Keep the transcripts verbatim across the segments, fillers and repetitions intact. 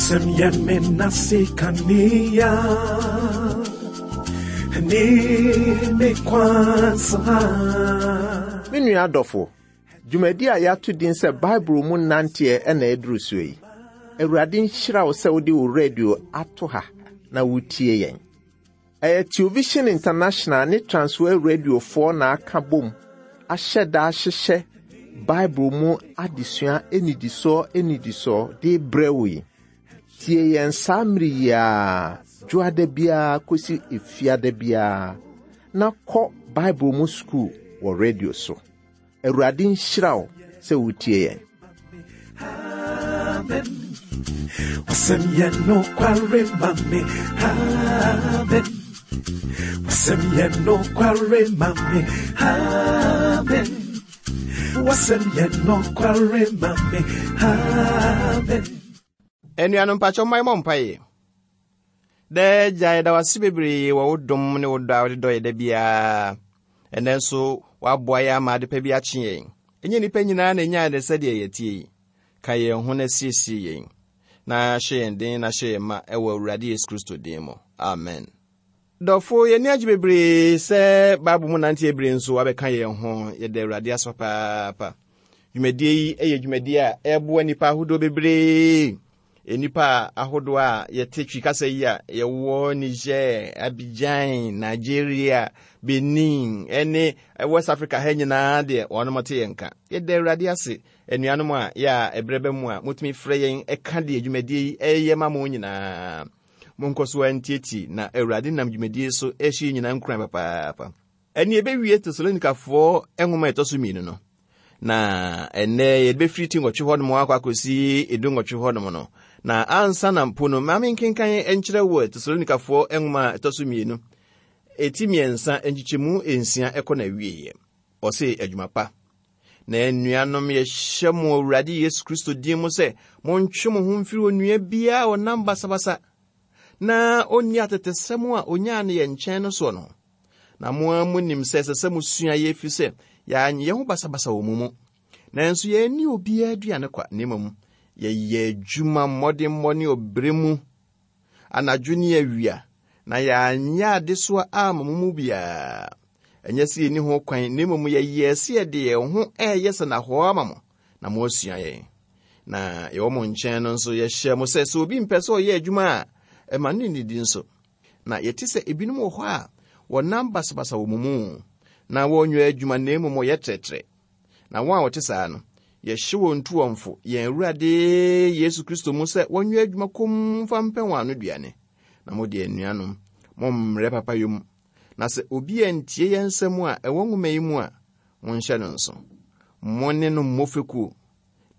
Wasɛm yɛ me nase kanea ne me kwansa. Me nua adɔfo, dwumadi a yɛato din sɛ Bible mu nanteɛ ɛna ɛduru so yi. Awurade nhyira wo sɛ wode wo radio ato ha na wotie yɛn. Ɛyɛ Television International ne Transworld Radiofoɔ na aka bom ahyɛ da ahyehyɛ Bible mu adesua enidisoɔ enidisoɔ de brɛ wo yi. Tie yɛn saa mmere yi a dwoada biara kɔsi efiada biara na kɔ Bible mu sukuu wɔ radio so. Awurade nhyira wo sɛ wotie yɛn. Amen. Wasɛm yɛ nokware ma me. Amen. Wasɛm yɛ nokware ma me. Amen. Wasɛm yɛ nokware ma me. Amen. Anuanom mpakyɛw mma yɛmmɔ mpaeɛ. Daa Agya, yɛda wo ase bebree wɔ wo dom ne wo dɔ a wode dɔ yɛ da biara. Ɛnnɛ nso, woaboa yɛn ama ade pa bi akye yɛn. Ɛnyɛ nnipa nyinaa na ɛnyaa ne sɛdeɛ yɛtie yi. Ka yɛn ho na siesie yɛn. Na hyɛ yɛn den na hyɛ yɛn ma ɛwɔ Awurade Yesu Kristo din mu. Amen. Dɔfo, yɛn ani agye bebree sɛ Bible mu nante abere nso wabɛka yɛn ho. Yɛda Awurade ase papaapa. Dwumadie yi yɛ dwumadie a ɛboa nnipa ahodoɔ bebree. Nnipa ahodoɔ a yɛte Twi kasa yi a yɛwɔ Niger, Abidjan, Nigeria, Benin, ɛne West Africa ha nyinaa deɛ wɔnom te yɛn nka. Yɛda Awurade ase anuanom a yɛ a ɛberɛ bɛ mu a motumi frɛ yɛn ɛka deɛ dwumadie yi ɛyɛ ma mo nyinaa. Monkɔ so antietie na Awurade nam dwumadie so ɛhyɛ nyinaa nkuran papaapa. Ɛne ɛbɛwie Tesalonikafoɔ nwoma a ɛtɔ so mmienu no. Na ɛnnɛ yɛde bɛfiri ti nwɔtwe hɔnom akɔ akɔsi edu nwɔtwe hɔnom no. Na ansa na mpo no, maame nkenkan nkyerɛ wɔ Tesalonikafoɔ nwoma a ɛtɔ so mmienu. Eti mmiɛnsa nkyekyɛmu nsia ɛkɔ na awieeɛ. Ɔse adwuma pa. Na anuanom yɛhyɛ mo Awurade Yesu Kristo din mu sɛ montwe mo ho mfiri onua biara a ɔnam basabasa na onni atetesɛm a onyaa no yɛn nkyɛn no soɔ no. Na mo ara munim sɛ ɛsɛ sɛ mosua yɛ ɛfiri sɛ yɛanyɛ ho basabasa wɔ mo mu. Nanso yɛanni obiara aduane kwa, na mmom yɛyɛ adwuma mmɔdemmɔ ne ɔbrɛ mu anadwo ne awia, na yɛanyɛ adesoa amma mo mu biara. Ɛnyɛ sɛ yɛnni ho kwan, na mmom yɛyɛɛ sɛ yɛde yɛn ho ɛyɛ sɛnnahɔ ama mo, na moasua yɛn. Na yɛwɔ mo nkyɛn no nso, yɛhyɛ mo sɛ sɛ obi mpɛ sɛ ɔyɛ adwuma a, ɛma no nnidi nso. Na yɛte sɛ ebinom wɔ hɔ a wɔnam basabasa wɔ mo mu, na wɔnyɛ adwuma na mmom wɔyɛ trɛtrɛ. Na wɔn a wɔte saa no, yɛhyɛ wɔn ntuɔmfo yɛn Awurade Yesu Kristo mu sɛ wɔnyɛ adwuma komm mfa mpɛ wɔn ano aduane. Na mo deɛ anuanom, mommrɛ papayɔ mu. Na sɛ obi antie yɛn nsɛm a ɛwɔ nwoma yi mu a, monhyɛ no nso. Mo ne no mmɔ fekuo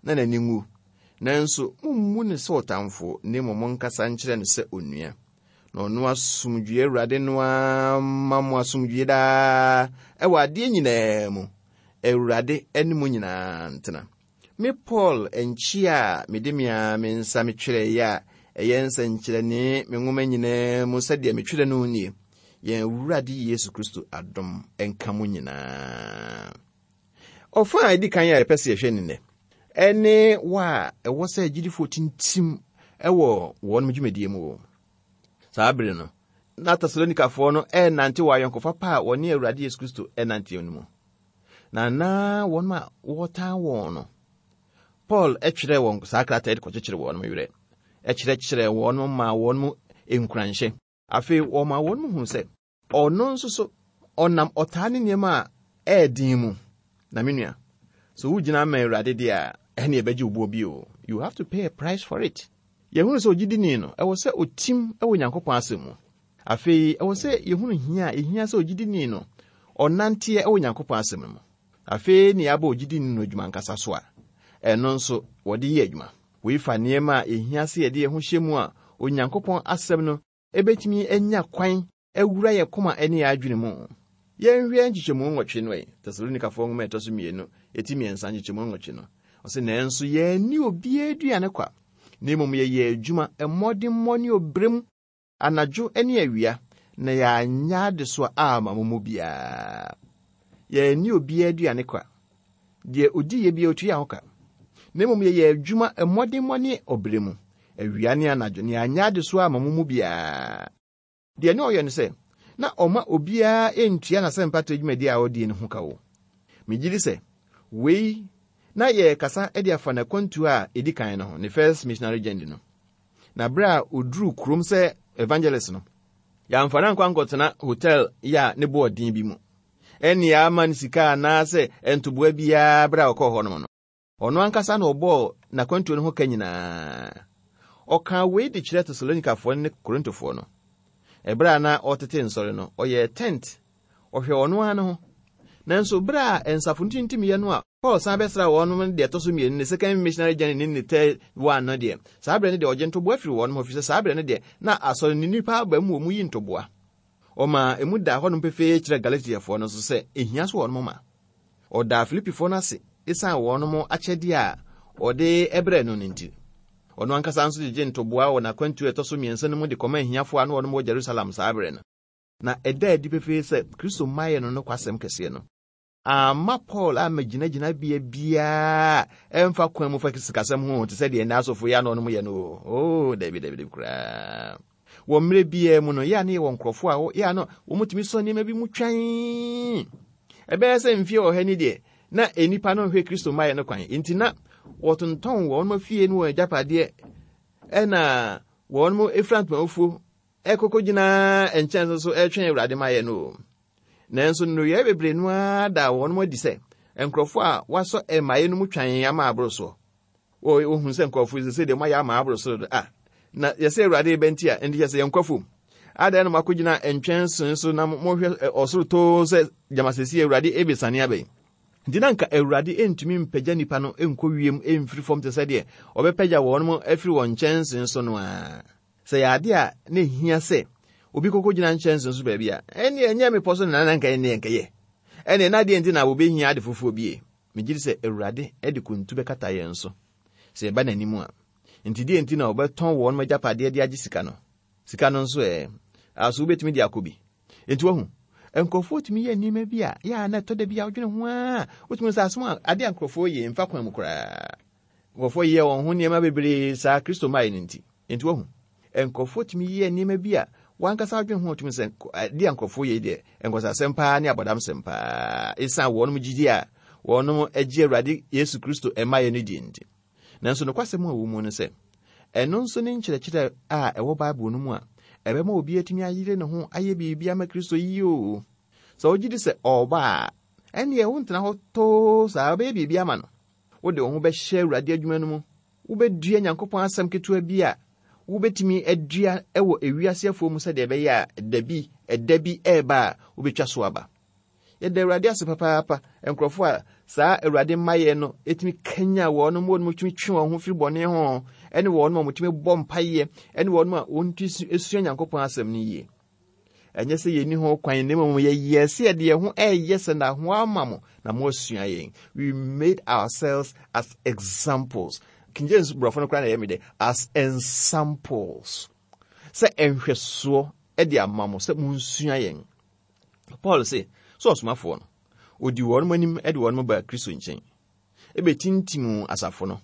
na n'ani nwu. Nanso mommu no sɛ ɔtamfo, na mmom monkasa nkyerɛ no sɛ onua. Na ɔno asomdwoe Awurade no ara ma mo asomdwoe daa ɛwɔ adeɛ nyinaa mu. Awurade ne mo nyinaa ntena. Me Paul nkyi a mede me ara me nsa metwerɛeɛ a ɛyɛ nsɛnkyerɛnne me nwoma nyinaa mu sɛdeɛ metwerɛ no nie. Yɛn Awurade Yesu Kristo adom nka mo nyinaa. Ɔfa a ɛdi kan a yɛpɛ sɛ yɛhwɛ ne nnɛ, ɛne wa a ɛwɔ sɛ agyidifoɔ tintim ɛwɔ wɔn dwumadie mu wɔ. Saa bere no, na Tesalonikafoɔ no ɛnante wɔ ayɔnkofa pa a wɔne Awurade Yesu Kristo ɛnante no mu. Na na wɔn a wɔtaa wɔn no, Paul ɛtwerɛ wɔn saa krataa de kɔkyekyere wɔn werɛ, ɛkyerɛkyerɛ wɔn ma wɔn mu nkuranhyɛ. Afei wɔma wɔn mu hu sɛ ɔno nso so ɔnam ɔtaa ne nneɛma a ɛyɛ den mu. Na me nua, so wogyina ama Awurade deɛ a, ɛne ɛbɛgye wo boɔ bi o. You have to pay a price for it. Yɛhunu sɛ ogyidini no, ɛwɔ sɛ otim ɛwɔ Nyankopɔn asɛm mu. Afei, ɛwɔ sɛ yɛhunu hia a ɛhia sɛ ogyidini no, ɔnanteɛ ɛwɔ Nyankopɔn asɛm mu. Afei ne yɛabɔ ogyidini no adwuma nkasa so a, ɛno nso wɔde yɛ adwuma. Wei fa nneɛma a ɛhia sɛ yɛde yɛn ho hyɛ mu a Onyankopɔn asɛm no ɛbɛtumi anya kwan awura yɛn koma ne yɛn adwene mu. Yɛnhwɛ nkyekyɛmu nwɔtwe no ɛ, Tesalonikafoɔ nwoma a ɛtɔ so mmienu, eti mmiɛnsa nkyekyɛmu nwɔtwe no. Ɔse, nanso yɛanni obiara aduane kwa, na mmom yɛyɛ adwuma mmɔdemmɔ ne ɔbrɛ mu, anadwo ne awia, na yɛanyɛ adesoa amma mo mu biara. Yɛanni obiara aduane kwa. Deɛ odi yɛ biara otua ho ka. Na mmom yɛyɛ adwuma mmɔdemmɔ ne ɔbrɛ mu. Awia ne anadwo ne anyɛ adesoa ama mo mu biara. Deɛ ne ɔyɛ no sɛ, na ɔma obiara ntua n'asɛmpatre dwumadi a ɔdie no ho ka wo. Megye di sɛ, wei na yɛrekasa de afa n'akwantuo a ɛdi kan no ho, ne first missionary journey no. Na berɛ a ɔduruu kurom sɛ evangelist no, yɛamfa no ankɔ ankɔtena hotel yi a ne boɔ den bi mu. Ɛne ama no sika anaasɛ ntoboa biara berɛ a ɔkɔɔ hɔ nom no. Ɔno ankasa na ɔbɔɔ n'akwantuo no ho ka nyinaa. Ɔkaa wei de kyerɛ Tesalonikafoɔ ne Korintofoɔ no. Ɛberɛ a na ɔtete nsɔre no, ɔyɛɛ tent, ɔhwɛ ɔno ara ne ho. Nanso berɛ a nsafo no tintimyɛ no a Paul san bɛsra wɔn no deɛ ɛtɔ so mmienu ne second missionary journey ne ne third one no deɛ, saa berɛ no deɛ ɔgye ntoboa firi wɔn ho, ɛfiri sɛ saa berɛ no deɛ na asɔre ne nnipa aba mu wɔ mu yi ntoboa. Ɔma emu da hɔnom pefee kyerɛ Galatiafoɔ no nso sɛ ehia so wɔn ma. Ɔdaa Filipifoɔ no ase esiane wɔn akyɛdeɛ a ɔde ɛbrɛ no no nti. Ɔno ankasa nso gyegye ntoboa wɔ n'akwantuo a ɛtɔ so mmiɛnsa no mu de kɔma ahiafoɔ a na wɔn wɔ Jerusalem saa berɛ no. Na ɛda adi pefee sɛ Kristo mmaeɛ no no kwasɛm kɛseɛ no. Amma Paul amma gyinagyina bea biara ɛmfa kwan mu fa sikasɛm ho te sɛ deɛ ɛnɛ asɔfo yi a na ɔnom yɛ no. Oh, dabi dabi dabi koraa. Wɔ mmerɛ biara mu no, yɛ a ne yɛwɔ nkurɔfoɔ a yɛ a no wɔmutumi sɔ nneɛma bi mu twɛn. Ɛbɛyɛ sɛ mfie ɔha ni deɛ, na nnipa no nhwɛ Kristo mmaeɛ no kwan. Nti na wɔtontɔn wɔn afie no wɔn agyapadeɛ, ɛna wɔn efura ntomafuo ɛkɔkɔ gyina nkyɛn so so ɛretwɛn Awurade mmaeɛ no. Nanso nnuruyɛ bebree no ara da wɔn adi sɛ nkurɔfoɔ a wɔasɔ mmaeɛ no mu twɛn ama aboro soɔ. Wɔhu sɛ nkurɔfoɔ yi sɛ deɛ wɔayɛ ama aboro so a, na yɛsɛ Awurade bɛnti a, nti yɛsɛ yɛnkɔ fam. Adan na moakɔgyina nkyɛnsee so na mohwɛ ɔsoro too sɛ gyamasɛsi Awurade ebesane abɛn. Nti na nka Awurade ntumi mpagya nnipa no nkɔ wiem mfiri fam te sɛ deɛ ɔbɛpagya wɔn mo afiri wɔn nkyɛnsee so no a. Sɛ yɛ ade a na ehia sɛ obi kɔkɔ gyina nkyɛnsee so baabi a, ɛne ɛnyɛ mepɔ so na nka ɛne nkɛyɛ. Ɛne na adeɛ nti na wɔbɛhia ade foforɔ bie. Megye di sɛ Awurade de kuntu bɛkata yɛn so sɛ yɛba n'anim a. Nti deɛ nti na wɔbɛtɔn wɔn agyapadeɛ de agye sika no. Sika no nso ɛ, aso wobɛtumi de akɔ bi. Nti wahu, nkurɔfoɔ tumi yɛ nneɛma bi a, yɛ a na ɛtɔ da bi a wodwene ho a, wotumi sɛ asɛm a ade a nkurɔfoɔ yɛ mfa kwan mu koraa. Nkurɔfoɔ yɛ wɔn ho nneɛma bebree saa Kristo mmaeɛ no nti. Nti wahu, nkurɔfoɔ tumi yɛ nneɛma bi a wankasa adwene ho tumi sɛ ade a nkurɔfoɔ yɛ deɛ nkɔsasɛm paa ne abɔdamsɛm paa. Esiane wɔn gyidi a wɔn agye Awurade Yesu Kristo mmaeɛ no di nti. Nanso nokwasɛm a ɛwɔ mu no sɛ, ɛno nso ne nkyerɛkyerɛ a ɛwɔ Bible no mu a ɛbɛma obi atumi ayere ne ho ayɛ biribi ama Kristo yie o. Sɛ wogye di sɛ ɔreba a, ɛnneɛ wontena hɔ too saa, wobɛyɛ biribi ama no. Wode wo ho bɛhyɛ Awurade adwuma no mu. Wobɛdua Nyankopɔn asɛm ketewa bi a wobɛtumi adua wɔ ewiase afuo mu sɛdeɛ ɛbɛyɛ a da bi, ɛda bi ɛreba a wobɛtwa so aba. Yɛda Awurade ase papaapa. Nkurɔfoɔ a saa Awurade mmaeɛ no ɛtumi kanya wɔn mu, wɔn tumi twe wɔn ho firi bɔne ho, ɛne wɔn a wɔtumi bɔ mpaeɛ, ɛne wɔn a wɔntumi sua Nyankopɔn asɛm no yie. Ɛnyɛ sɛ yɛnni ho kwan, na mmom yɛyɛ sɛ yɛde yɛn ho ɛyɛ sɛ na ho ama mo na moasua yɛn. We made ourselves as examples. King James borɔfo no koraa na ɛyɛ me dɛ, as ensamples. Sɛ nhwɛsoɔ de ama mo sɛ monsua yɛn. Paul se, sɛ ɔsomafoɔ no, odi wɔn anim de wɔn baa Kristo nkyɛn. Ɛbɛtintim asafo no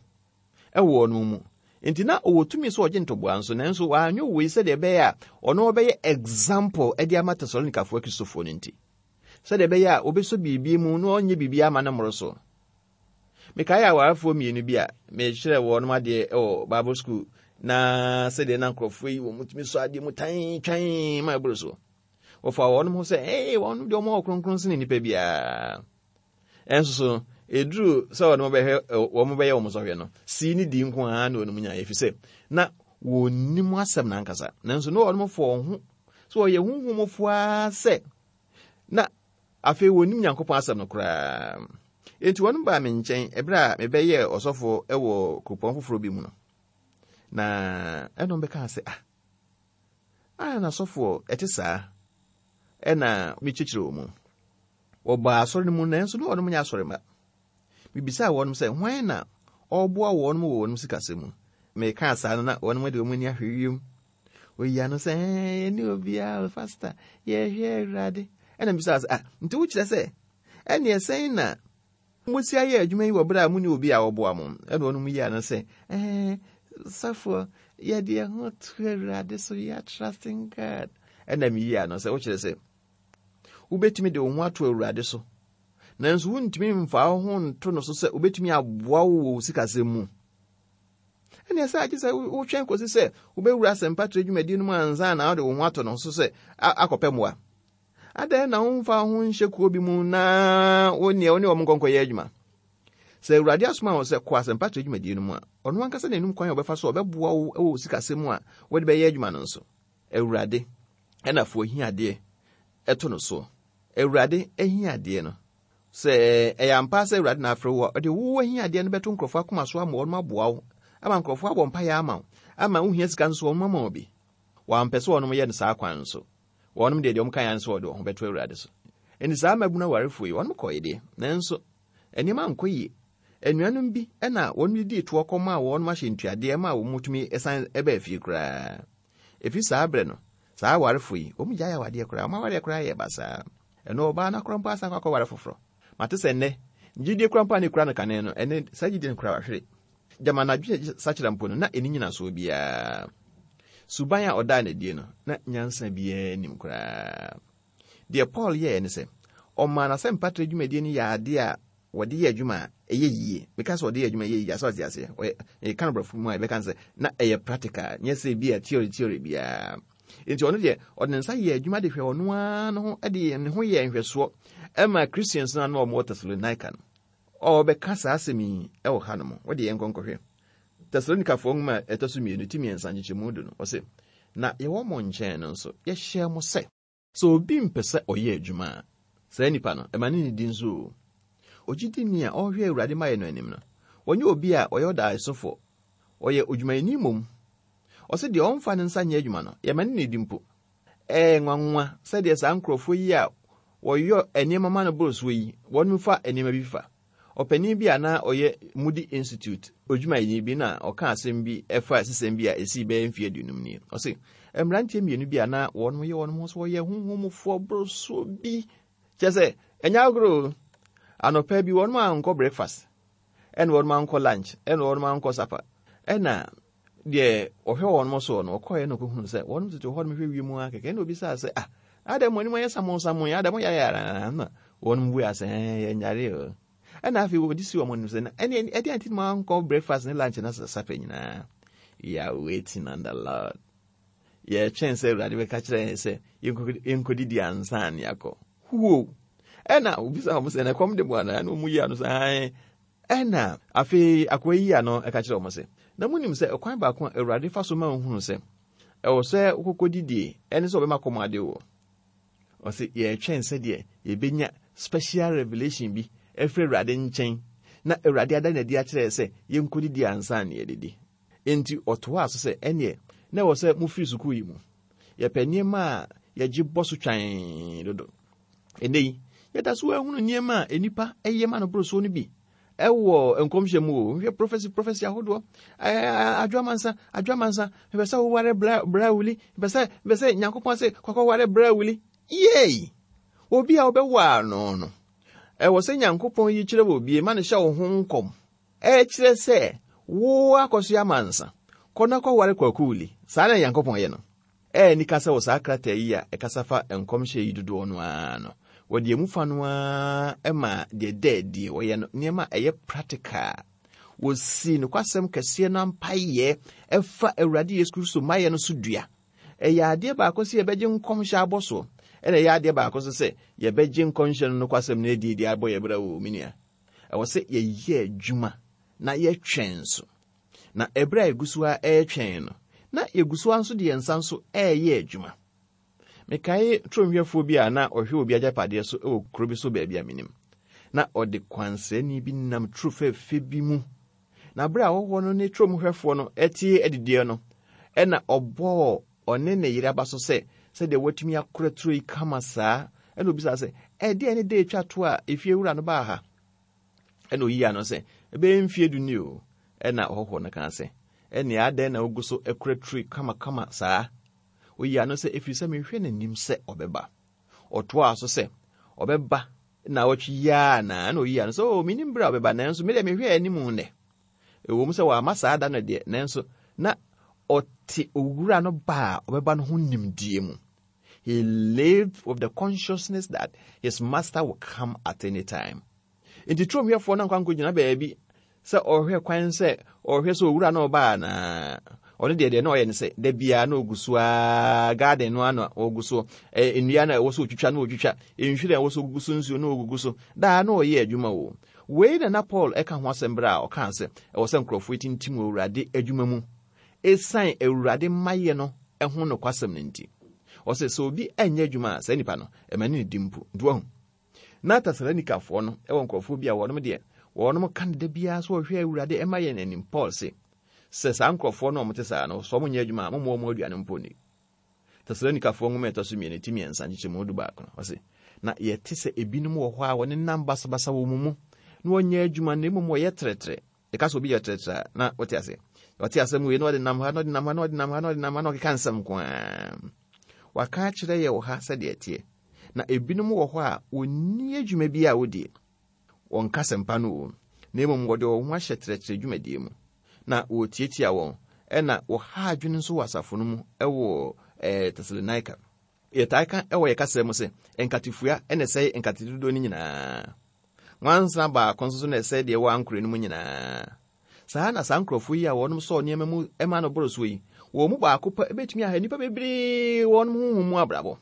ɛwɔ wɔn mu. Nti na ɔwɔ tumi sɛ ɔgye ntoboa nso, nanso wanyɛ wei sɛdeɛ ɛbɛyɛ a ɔno ɔbɛyɛ example de ama Tesalonikafoɔ Kristofoɔ no nti. Sɛdeɛ ɛbɛyɛ a wɔbɛsɔ biribi mu na ɔnyɛ biribi ama no mmoro so. Mekae awarefoɔ mmienu bi a mekyerɛ wɔn adeɛ wɔ Bible school, na sɛdeɛ na nkurɔfoɔ yi wɔn tumi sɔ adeɛ mu tan twan ma ɛboro so. Wɔfa wɔn ho sɛ, ee, wɔn deɛ wɔn wɔ kronkron sene nnipa biara. Ɛnso so, ɛduru sɛ wɔn bɛhwɛ, wɔn bɛyɛ wɔn sɔhwɛ no, sii ne di nko ara na wɔn nyaeɛ, ɛfiri sɛ na wɔnnim asɛm n'ankasa. Nanso na wɔn fɔ wɔn ho sɛ wɔyɛ honhomfoɔ ara sɛ na afei wɔnnim Nyankopɔn asɛm no koraa. Enti wɔn baa me nkyɛn ɛberɛ a mebɛyɛɛ ɔsɔfo wɔ kuropɔn foforɔ bi mu no. Na ɛnom bɛkaa sɛ, ah, ah, na sɔfoɔ ɛte saa, ɛna mekyekyere wɔ mu. Wɔbaa asɔre no mu, nanso na wɔnom nyɛ asɔre mma. Mebisaa wɔnom sɛ, hwan na ɔreboa wɔnom wɔ wɔnom sikasɛm mu? Mekaa saa no na wɔnom de wɔn ani ahwɛ wiem. Oyi ano sɛ, ɛɛ, yɛne obiara, pastor, yɛhwɛ Awurade. Ɛna mebisaa sɛ, ah, nti wokyerɛ sɛ, ɛneɛ sɛn na mosi ayɛ adwuma yi wɔ berɛ a mo ne obi a ɔboa mo? Ɛna wɔnom yi ano sɛ, ɛɛ, sɔfoɔ, Yɛde yɛn ho to Awurade so, we are trusting God. Ɛna meyi ano sɛ wokyerɛ sɛ wobɛtumi de wo ho ato Awurade so, nanso wontumi mfa wo ho nto no so sɛ wobɛtumi aboa wo wɔ wo sikasɛm mu. Ɛne ɛsɛ agye sɛ wotwɛn kɔsi sɛ wobɛwura asɛmpatrɛ dwumadie no mu ansa na wode wo ho ato no so sɛ akɔpɛ mmoa. Adɛn na womfa wo ho nhyɛ kuo bi mu na wo neɛ wo ne wɔn nkɔnkɔyɛ adwuma? Sɛ Awurade asoma wo sɛ kɔ asɛmpatrɛ dwumadie no mu a, ɔno ankasa n'anim kwan a ɔbɛfa so a ɔbɛboa wo wɔ wo sikasɛm mu a wode bɛyɛ adwuma no nso. Awurade ɛna fo ahiadeɛ ɛto no soɔ. Awurade ahiadeɛ no, sɛ ɛyɛ ampa sɛ Awurade na afrɛ wo a, ɔde wo ahiadeɛ no bɛto nkurɔfoɔ akoma so ama wɔn aboa wo, ama nkurɔfoɔ abɔ mpaeɛ ama wo, ama wohia sika nso wɔn ama wo bi. Wɔampɛ sɛ wɔnom yɛ no saa kwan no so. Wɔnom deɛ deɛ wɔn kan nso wɔde wɔn ho bɛto Awurade so. Enti saa mmabunu awarefoɔ yi, wɔnom kɔɔ deɛ, nanso nneɛma ankɔ yie. Anuanom bi ɛna wɔn didi toɔ kɔma a wɔnom ahyɛ ntuadeɛ ma wɔn tumi san ɛbɛɛ fie koraa. Efi saa berɛ no, saa awarefoɔ yi, wɔn gyae awadeɛ koraa, wɔn awadeɛ koraa yɛ basaa. Ɛno ɔbaa no akora mpo asan akɔ akɔware foforɔ. Mate sɛ nnɛ, gyidie koraa mpo a ne kura no kane no, ɛnɛ saa gyidie no koraa wahwere. Gyama n'adwene sakyera mpo no, na ɛni nyinasoɔ biara. Suban a ɔdaa n'adie no, na nyansa biara nim koraa. Deɛ Paul yɛɛ ne sɛ, ɔmaa n'asɛmpatrɛ dwumadie no yɛ adeɛ a wɔde yɛ adwuma a ɛyɛ yie. Meka sɛ wɔde yɛ adwuma ɛyɛ yie, asɛ ɔte aseɛ. Ɔyɛ ɛka no borɔfo mu a yɛbɛka sɛ na ɛyɛ practical, nyɛ sɛ bi a theory theory biara. Nti ɔno deɛ, ɔde ne nsa yɛ adwuma de hwɛ ɔno ara no ho, de ne ho yɛ nhwɛsoɔ ɛma Christians no a na wɔwɔ Thessalonica no. Ɔbɛka saa asɛm yi ɛwɔ ha nom. Wɔde yɛn nkɔnkɔhwɛ. Tessalonikafoɔ nwoma a ɛtɔ so mmienu ti mmiɛnsa nkyekyɛmu du no, ɔse, na yɛwɔ mo nkyɛn no nso, yɛhyɛ mo sɛ, sɛ obi mpɛ sɛ ɔyɛ adwuma a, saa nipa no, ɛma ne nidi nso o. Ogyidini a ɔrehwɛ Awurade mayɛ no anim no, wɔnyɛ obi a ɔyɛ ɔdaesofoɔ, ɔyɛ odwumayɛni mmom. Ɔse deɛ ɔmfa ne nsa nyɛ adwuma no, yɛma ne nidi mpo. Ɛyɛ nwanwa sɛdeɛ saa nkurɔfoɔ yi a wɔyɔ nneɛma ma no boro soɔ yi, wɔn fa nneɛma bi fa. Ɔpanin bi a na ɔyɛ Moody Institute odwumayɛni bi na ɔka asɛm bi ɛfa sisɛm bi a ɛsii bɛyɛ mfeɛ aduonum nie. Ɔse, mmeranteɛ mmienu bi a na wɔn yɛ wɔn ho so wɔyɛ honhomfoɔ boro soɔ bi. Kyerɛ sɛ, ɛnyɛ agorɔ o. Anɔpa bi wɔn ankɔ breakfast, ɛna wɔn ankɔ lunch, ɛna wɔn ankɔ supper. Ɛna deɛ ɔhwɛ wɔn soɔ no, ɔkɔɛ na ɔkɔhunu sɛ wɔn tete hɔ nom hwɛ wiem ara kɛkɛ. Ɛna obisaa sɛ, ah, adɛn mo anim ayɛ samonsamon, adɛn mo yare ara? Na wɔn bua sɛ, ɛɛ, yɛnyare o. Ɛna afei wɔde si wɔn anim sɛ, na ɛne ɛde anti mo ankɔ breakfast ne lunch na supper nyinaa. We are waiting on the Lord. Yɛtwɛn sɛ Awurade bɛka kyerɛ yɛn sɛ yɛnkɔdidi ansa ne akɔ. Huo! Ɛna obisa wɔn sɛ, na ɛkɔm de mo anaa? Ɛna wɔn yi ano sɛ, ae. Ɛna afei akoa yi ano ɛka kyerɛ wɔn sɛ, na monim sɛ ɛkwan baako a Awurade fa so ma ohunu sɛ ɛwɔ sɛ wokɔkɔdidie ɛne sɛ ɔbɛma kɔm ade wɔ. Ɔse yɛtwɛn sɛdeɛ yɛbɛnya special revelation bi ɛfiri Awurade nkyɛn na Awurade ada n'adi akyerɛ sɛ yɛnkɔdidi ansa ne yɛdidi. Enti ɔtoaa so sɛ ɛneɛ na ɛwɔ sɛ mofiri sukuu yi mu. Yɛpɛ nneɛma a yɛgye bɔ so twan dodo. Ɛnnɛ yi, yɛda so ahunu nneɛma a nnipa ɛyɛ ma no boro soɔ no bi ɛwɔ nkɔmhyɛ mu o. Hwɛ prophecy prophecy ahodoɔ. Ɛɛ adwamansa adwamansa mepɛ sɛ woware bra bra wuli, mepɛ sɛ mepɛ sɛ Nyankopɔn sɛ kɔkɔware bra wuli. Yei! Obi a wobɛwɔ ano no, ɛwɔ sɛ Nyankopɔn yi kyerɛ wɔ bie ma no hyɛ wo ho nkɔm. Ɛkyerɛ sɛ wo akɔso amansa kɔ na kɔware kwaku wuli. Saa na Nyankopɔn yɛ no. Ɛyɛ nika sɛ wɔ saa krataa yi a ɛkasa fa nkɔmhyɛ yi dodoɔ no ara no, wɔde emu fa no ara ma deɛ dɛ die wɔyɛ no nneɛma a ɛyɛ practical. Wɔsi nokwasɛm kɛseɛ no ampayɛ ɛfa Awurade Yesu Kristo mayɛ no so dua. Ɛyɛ adeɛ baako sɛ yɛbɛgye nkɔmhyɛ abɔ soɔ, ɛna ɛyɛ adeɛ baako nso sɛ yɛbɛgye nkɔmhyɛ no nokwasɛm no adi adi abɔ yɛ brɛ wɔ me nua. Ɛwɔ sɛ yɛyɛ adwuma na yɛtwɛn nso. Na ɛberɛ a yɛgu so a ɛretwɛn no, na yɛgu so a nso de yɛn nsa nso ɛreyɛ adwuma. Mekae turomhwɛfoɔ bi a na ɔhwɛ obi agyapadeɛ so wɔ kuro bi so baabi a menim. Na ɔde kwansrani bi nam turo fɛɛfɛ bi mu. Na berɛ a ɔhɔhoɔ no ne turomhwɛfoɔ no ɛte adidiɛ no, ɛna ɔbɔɔ ɔne ne yere aba so sɛ sɛdeɛ watumi akora turo yi kama saa. Ɛna obisaa sɛ, ɛdeɛn ne da etwa to a efie wura no baa ha? Ɛna oyi ano sɛ, ɛbɛyɛ mfie du ni o. Ɛna ɔhɔhoɔ no kaa sɛ, ɛnea adɛn na wogu so akora turo yi kamakama saa? Oyi ano sɛ, ɛfiri sɛ mehwɛ n'anim sɛ ɔbɛba. Ɔtoaa so sɛ, ɔbɛba na ɔtwe yi ara na. Ɛna oyi ano sɛ, o, menim berɛ a ɔbɛba, nanso me deɛ mehwɛ anim nnɛ. Ɛwɔ mu sɛ wamma saa da no deɛ, nanso na ɔte owura no ba a ɔbɛba no ho nimdeɛ mu. He lived with the consciousness that his master will come at any time. Nti turomhwɛfoɔ no ankɔ ankɔgyina baabi sɛ ɔhwɛ kwan sɛ ɔhwɛ sɛ owura no ɔba anaa. Ɔno deɛ deɛ na ɔyɛ no sɛ da biara na ɔgu so a garden no ano ɔgu so, nnua no a ɛwɔ so ɔtwitwa na ɔtwitwa, nhwiren a ɛwɔ so ɔgugu so nsuo na ɔgugu so, daa na ɔyɛ adwuma o. Wei na na Paul ɛka ho asɛm berɛ a ɔkaa sɛ ɛwɔ sɛ nkurɔfoɔ tintim wɔ Awurade adwuma mu ɛsiane Awurade mmayɛ no ɛho nokwasɛm no nti. Ɔsɛ sɛ obi ɛnyɛ adwuma a, saa nipa no ɛma ne ne di mpo. Nti wahu na Tesalonikafoɔ no ɛwɔ nkurɔfoɔ bi a wɔnom deɛ wɔnom ka no da biara so wɔhwɛ Awurade ɛma yɛn anim. Paul se sɛ saa nkurɔfoɔ no a wɔte saa no, sɛ wɔn nyɛ adwuma a, momma wɔn aduane mpo ni. Tesalonikafoɔ nwoma ɛtɔ so mmienu ti mmiɛnsa nkyekyɛmu du baako no, ɔse na yɛte sɛ ebinom wɔ hɔ a wɔnenam basabasa wɔ mu mu na wɔnyɛ adwuma na mmom wɔyɛ trɛtrɛ. Yɛka sɛ obi yɛ trɛtrɛ a, na wɔte ase. Wɔte asɛm wei na ɔde nam ha na ɔde nam ha na ɔde nam ha na ɔde nam ha na ɔkeka nsɛm nko ara. Waka akyerɛ yɛ wɔ ha sɛdeɛ ɛteɛ. Na ebinom wɔ hɔ a wɔnni adwuma bi a wɔdie. Wɔnka asɛmpa no o, na mmom wɔde wɔn ho ahyɛ trɛtrɛ dwumadie mu. Na wɔtiatia wɔn, ɛna wɔha adwene nso wɔ asafo no mu ɛwɔ ɛɛ Tesalonika. Yɛtaa ka ɛwɔ yɛ kasa mu sɛ nkatefua ɛna ɛsɛe nkate dodoɔ no nyinaa. Nwansena baako nso so na ɛsɛe deɛ ɛwɔ ankorɛ no mu nyinaa. Saa na saa nkurɔfoɔ yi a wɔnom sɔɔ nneɛma mu ɛma no boro soɔ yi, wɔn mu baako pɛ ebɛtumi aha nnipa bebree wɔnom honhom mu abrabɔ.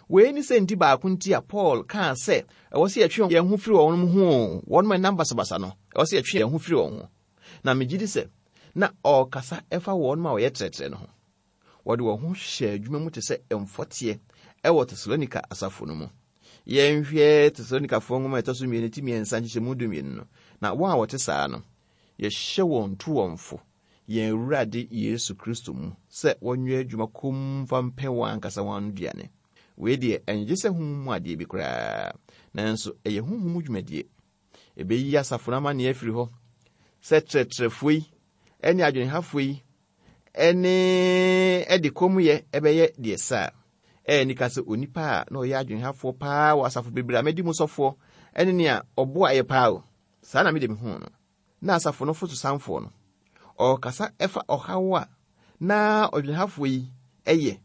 Wei ne sɛ nti baako nti a Paul kaa sɛ ɛwɔ sɛ yɛtwe yɛn ho firi wɔn ho o, wɔnom ɛnam basabasa no, ɛwɔ sɛ yɛtwe yɛn ho firi wɔn ho. Na megye di sɛ na ɔrekasa ɛfa wɔnom a wɔyɛ trɛtrɛ no ho. Wɔde wɔn ho hyɛ adwuma mu te sɛ mfɔteɛ ɛwɔ Tesalonika asafo no mu. Yɛnhwɛ Tesalonikafoɔ nwoma a ɛtɔ so mmienu ti mmiɛnsa nkyekyɛmu du mmienu no. Na wɔn a wɔte saa no, yɛhyɛ wɔn to wɔn fo yɛn Awurade Yesu Kristo mu sɛ wɔnyɛ adwuma komm mfa mpɛ wɔn ankasa wɔn aduane. Wei deɛ ɛnyɛ sɛ honhom mu adeɛ bi koraa, nanso ɛyɛ honhom mu dwumadie. Ɛbɛyi asafo no amanneɛ afiri hɔ sɛ trɛtrɛfoɔ yi ɛne adwenehafoɔ yi ɛne ɛde kɔmuyɛ ɛbɛyɛ deɛ saa. Ɛyɛ nika sɛ onipa a na ɔyɛ adwenehafoɔ paa wɔ asafo bebree a mɛdi mu sɔfoɔ ɛne nea ɔboa yɛ paa o. Saa na mede me hu no. Na asafo no fotosanfoɔ no, ɔrekasa ɛfa ɔhaw a na ɔdwenehafoɔ yi ɛyɛ.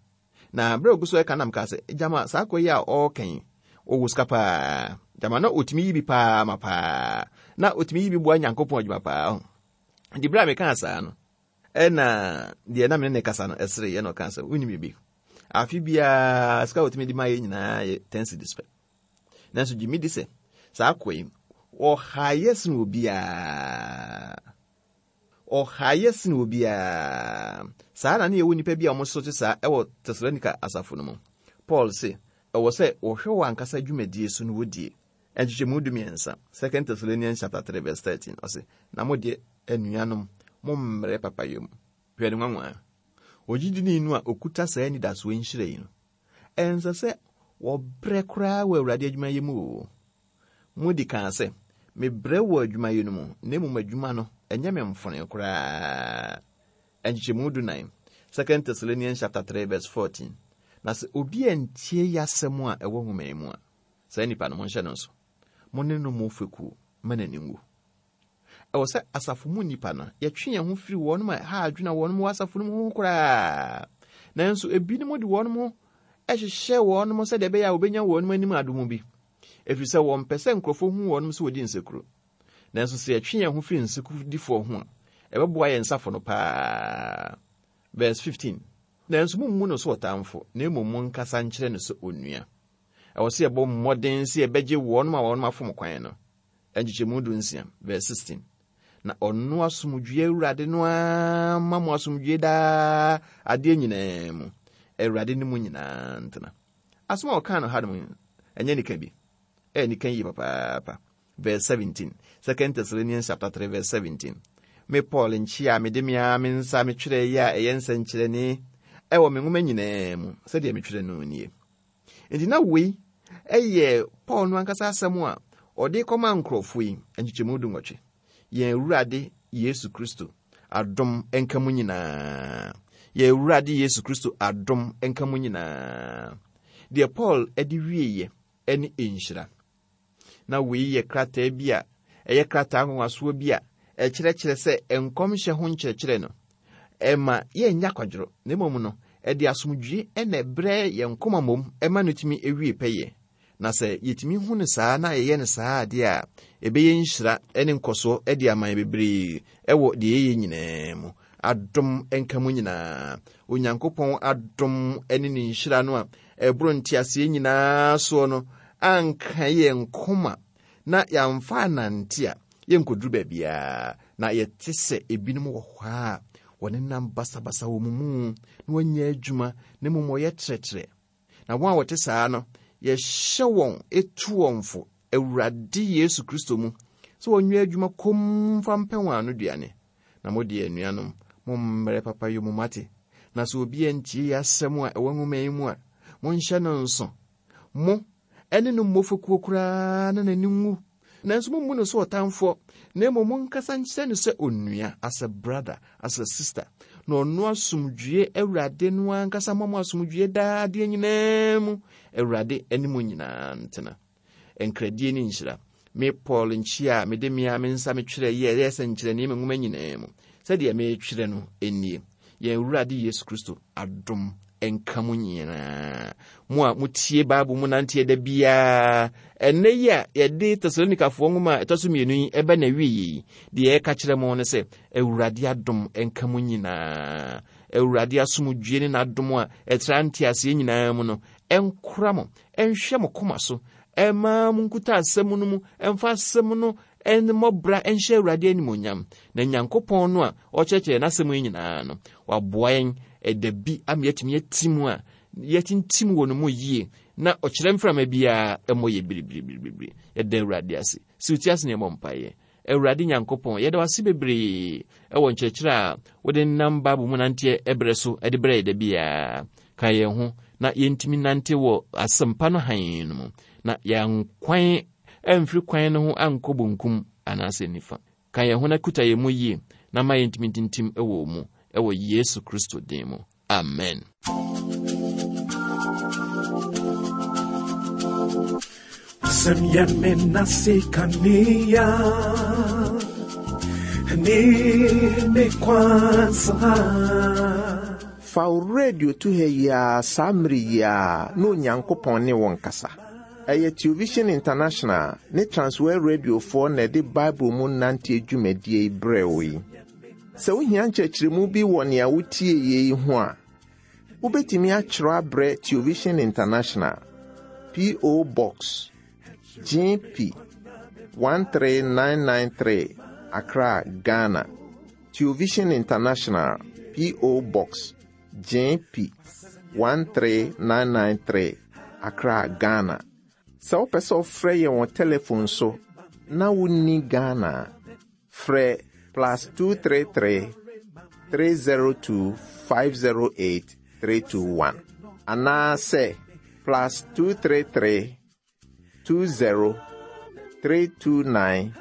Na berɛ a ogu so ɛka nam kaa sɛ, gyama saa akɔ yi a ɔreka yi, ɔwɔ sika paa. Gyama na ɔtumi yi bi paa ma paa. Na ɔtumi yi bi boa Nyankopɔn adwuma paa. Nti berɛ a mekaa saa no, ɛna deɛ na me ne ne kasa no ɛsere yɛ na ɔkaa sɛ, wonim biribi. Afe biara sika a ɔtumi de ma yɛ nyinaa yɛ ten cedis pɛ. Nanso gye me di sɛ saa akɔ yi, ɔhaeɛ sene obiara. Ɔhaeɛ sene obiara. Saa na ne yɛwɔ nnipa bi a wɔn so te saa ɛwɔ Tesalonika asafo no mu. Paul se, ɛwɔ sɛ wɔhwɛ wɔn ankasa dwumadie so no wɔdie. Nkyekyɛmu du mmiɛnsa, Second Thessalonians chapter three verse thirteen, ɔse, na mo deɛ anuanom, mommrɛ papayɔ mu. Hwɛ ne nwanwa. Ogyidini no a okuta saa anidasoɔ nhyira yi no, ɛnsɛ sɛ wɔbrɛ koraa wɔ Awurade adwumayɛ mu o. Modi kan sɛ, mebrɛ wɔ adwumayɛ no mu, na mmom adwuma no, ɛnyɛ me mfone koraa. Nkyekyɛmu du nan, Second Thessalonians chapter three verse fourteen. Na sɛ obi antie y'asɛm a ɛwɔ nwoma yi mu a, saa nipa no monhyɛ no nso. Mo ne no mo fekuo ma n'ani nwu. Ɛwɔ sɛ asafo mu nnipa no, yɛtwe yɛn ho firi wɔnom a ha adwene a wɔnom wɔ asafo no mu ho koraa. Nanso ebinom de wɔnom ho ɛhyehyɛ wɔnom sɛdeɛ ɛbɛyɛ a wɔbɛnya wɔnom anim adom bi. Ɛfiri sɛ wɔmpɛ sɛ nkurɔfoɔ hu wɔnom sɛ wɔdi nsekuro. Nanso sɛ yɛtwe yɛn ho firi nsekudifoɔ ho a, ɛbɛboa yɛn nsafo no paa. Verse fifteen. Nanso mommu no sɛ ɔtamfo, na mmom monkasa nkyerɛ no sɛ onua. Ɛwɔ sɛ yɛbɔ mmɔden sɛ yɛbɛgye wɔnom a wɔnom afom kwan no. Nkyekyɛmu du nsia, verse sixteen. Na ɔno asomdwoe Awurade no ara ma mo asomdwoe daa adeɛ nyinaa mu. Awurade ne mu nyinaa ntena. Asɛm a ɔkaa no ha no mu, ɛnyɛ nika bi. Ɛyɛ nika yie papaapa. Verse seventeen. Second Thessalonians chapter three verse seventeen. Me Paul nkyia a mede me ara me nsa metwerɛ yi a ɛyɛ nsɛnkyerɛnne ɛwɔ me nwoma nyinaa mu sɛdeɛ metwerɛ no nie. Nti na wei ɛyɛ Paul no ankasa asɛm a ɔde kɔma nkurɔfoɔ yi nkyekyɛmu du nwɔtwe. Yɛn Awurade Yesu Kristo adom nka mu nyinaa. Yɛn Awurade Yesu Kristo adom nka mu nyinaa. Deɛ Paul de wieeɛ ne nhyira. Na wei yɛ krataa bi a ɛyɛ krataa nwanwasoɔ bi a ɛkyerɛkyerɛ sɛ nkɔmhyɛ ho nkyerɛkyerɛ no Ɛma yɛnnya kwadworo, na mmom no, ɛde asomdwie ɛna ɛbrɛ yɛn koma mmom ɛma no tumi ewie pɛyɛ. Na sɛ yɛtumi hu no saa na yɛyɛ no saa adeɛ a, ɛbɛyɛ nhyira ne nkɔsoɔ de ama yɛn bebree ɛwɔ deɛ yɛyɛ nyinaa mu. Adom nka mu nyinaa. Onyankopɔn adom ne ne nhyira no a ɛboro nteaseɛ nyinaa soɔ no anka yɛn koma na yɛamfa anante a, yɛnkɔduru baabiara. Na yɛte sɛ ebinom wɔ hɔ a wɔnenam basabasa wɔ mu mu na wɔnyɛ adwuma, na mmom wɔyɛ trɛtrɛ. Na wɔn a wɔte saa no, yɛhyɛ wɔn etu wɔn fo Awurade Yesu Kristo mu sɛ wɔnyɛ adwuma komm mfa mpɛ wɔn ano duane. Na mo deɛ, anuanom, mommrɛ papa yɛ mu mate. Na sɛ obi antie yɛ asɛm a ɛwɔ nwoma yi mu a, monhyɛ no nso. Mo ɛne no mmɔ fekuo koraa na n'ani nwu. Nanso mommu no sɛ ɔtamfoɔ, na mmom monkasa nkyerɛ no sɛ onua, as a brother, as a sister. Na ɔno asomdwie Awurade no ankasa ma mo asomdwie daa adeɛ nyinaa mu. Awurade ne mo nyinaa ntena. Nkradie ne nhyira. Me Paul nkyia a mede me a me nsa metwerɛ yɛ ɛyɛ sɛ nkyerɛnee me nwoma nyinaa mu. Sɛdeɛ metwerɛ no nie. Yɛn Awurade Yesu Kristo adom nka mo nyinaa. Mo a motie Bible mu nanteɛ da biara, ɛnnɛ yi a yɛde Tesalonikafoɔ nwoma a ɛtɔ so mmienu yi ɛbɛ na wie yi, deɛ yɛka kyerɛ mo ne sɛ, Awurade adom nka mo nyinaa. Awurade asomdwie ne n'adom a ɛtra nteaseɛ nyinaa mu no, ɛnkora mo, ɛnhwɛ mo koma so, ɛma mo nkuta asɛm no mu, ɛmfa asɛm no ɛmmɔbra ɛnhyɛ Awurade animonyam. Na Nyankopɔn no a ɔkyerɛkyerɛ n'asɛm yi nyinaa no, waboa yɛn ɛda bi ama yɛatumi ati mu a yɛtintim wɔ no mu yie, na ɔkyerɛ mframa biara ɛmmɔ yɛ biribiribiribiri. Yɛda Awurade ase. Si wo ti ase na yɛmmɔ mpaeɛ. Awurade Nyankopɔn, yɛda wo ase bebree ɛwɔ nkyerɛkyerɛ a wode nam Bible mu nanteɛ ɛberɛ so ɛde brɛ yɛ da biara. Ka yɛn ho na yɛntumi nante wɔ asɛmpa no hann no mu, na yɛankwan ɛmfiri kwan no ho ankɔ bonkum anaasɛ nifa. Ka yɛn ho na kuta yɛn mu yie, na ma yɛntumi ntintim ɛwɔ mu, ɛwɔ Yesu Kristo din mu. Amen. Wasɛm yɛ me nase kanea ne me kwan saa. Fa wo radio to ha yi ara saa mmere yi ara na Onyankopɔn ne wo nkasa. Ɛyɛ Television International ne Transworld Radiofoɔ na ɛde Bible mu nanteɛ dwumadie yi brɛ wo yi. Sɛ wohia nkyerɛkyerɛmu bi wɔ nea wotie yi ho a, wobɛtumi atwerɛ abrɛ Television International, P O. Box G P one three nine nine three, Accra, Ghana. Television International, P O. Box G P one three nine nine three, Accra, Ghana. Sɛ wopɛ sɛ wofrɛ yɛn wɔ telephone so na wonni Ghana a, frɛ plus two three three, three zero two, five zero eight, three two one anaasɛ plus two three three, two zero, three two nine,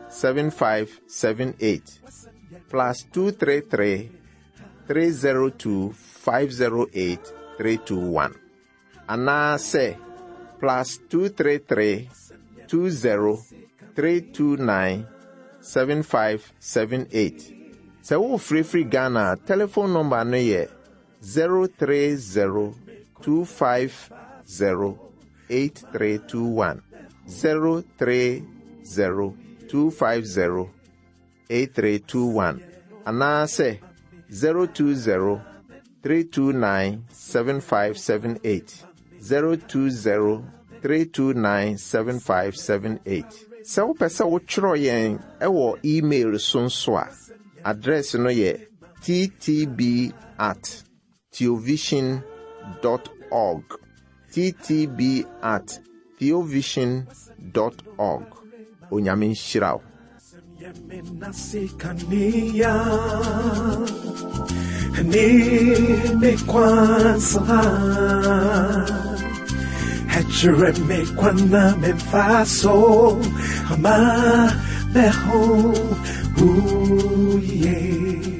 seven five seven eight, plus two three three, three zero two, five zero eight, three two one anaasɛ plus two three three, two zero, three two nine, seven five seven eight. Sɛ wofirifiri Ghana a, telephone number no yɛ zero three zero, two five zero, eight three two one, zero three zero, two five zero, eight three two one anaasɛ zero two zero, three two nine, seven five seven eight, zero two zero, three two nine, seven five seven eight. Sɛ wopɛ sɛ wotwerɛ yɛn ɛwɔ email so nso a, address no yɛ T T B at theovision dot org, T T B at theovision dot org. Onyame nhyira wo. Yɛ me nase kanea ne me kwan saa. Ɛkyerɛ me kwan na memfa so ama meho wo yie.